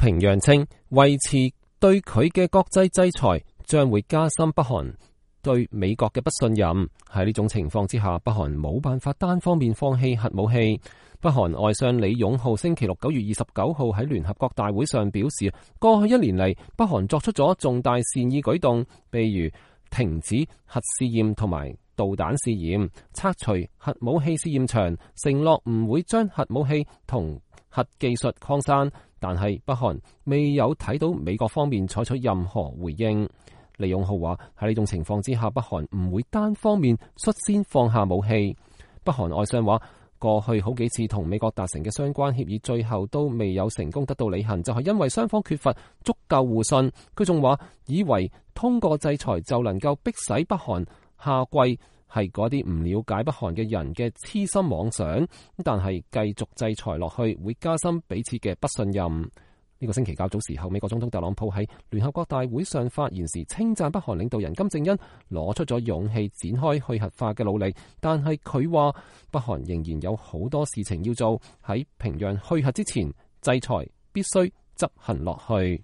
平壤稱維持對佢嘅國際制裁將會加深北韓對美國嘅不信任。喺呢種情況之下，北韓冇辦法單方面放棄核武器。北韓外相李勇浩星期六9月29號喺聯合國大會上表示，過去1年嚟，北韓作出咗重大善意舉動，譬如停止核試驗同埋導彈試驗，拆除核武器試驗場，承諾唔會將核武器同核技術擴散。但係北韓未有睇到美國方面採取任何回應。李勇浩話，喺呢種情況之下，北韓唔會單方面率先放下武器。北韓外相話，過去好幾次同美國達成嘅相關協議，最後都未有成功得到履行，就係因為雙方缺乏足夠互信。佢仲話，以為通過制裁就能夠迫使北韓下跪，係嗰啲唔了解北韓嘅人嘅痴心妄想。但係繼續制裁落去，會加深彼此嘅不信任。呢個星期較早時候，美國總統特朗普喺聯合國大會上發言時，稱讚北韓領導人金正恩攞出咗勇氣展開去核化嘅努力，但係佢話北韓仍然有好多事情要做，喺平壤去核之前，制裁必須執行落去。